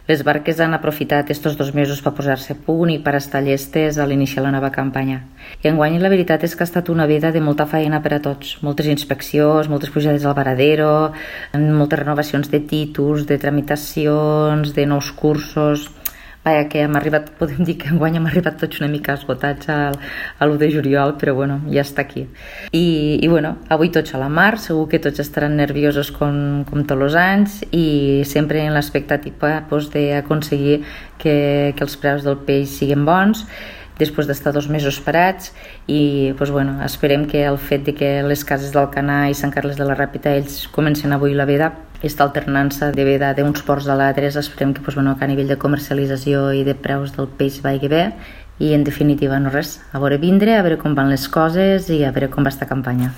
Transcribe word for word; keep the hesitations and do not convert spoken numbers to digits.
Les barques han aprofitat estos dos mesos per posar-se a punt i per estar llestes a l'iniciar la nova campanya. I enguany la veritat és que ha estat una veda de molta feina per a tots. Moltes inspeccions, moltes pujades al varadero, moltes renovacions de títols, de tramitacions, de nous cursos. Vaja, que hem arribat, podem dir que enguany hem arribat tots una mica esgotats a l'u de juliol, però bueno, ja està aquí. I, i bueno, avui tots a la mar, segur que tots estaran nerviosos com, com tots els anys i sempre en l'expectativa pues, d'aconseguir que, que els preus del peix siguin bons després d'estar dos mesos parats i pues, bueno, esperem que el fet de que les cases d'Alcanar i Sant Carles de la Ràpita ells comencen avui la veda, aquesta alternança de veda d'uns ports a l'altres, esperem que, pues, bueno, que a nivell de comercialització i de preus del peix vagi bé i en definitiva no res, a veure vindre, a veure com van les coses i a veure com va esta campanya.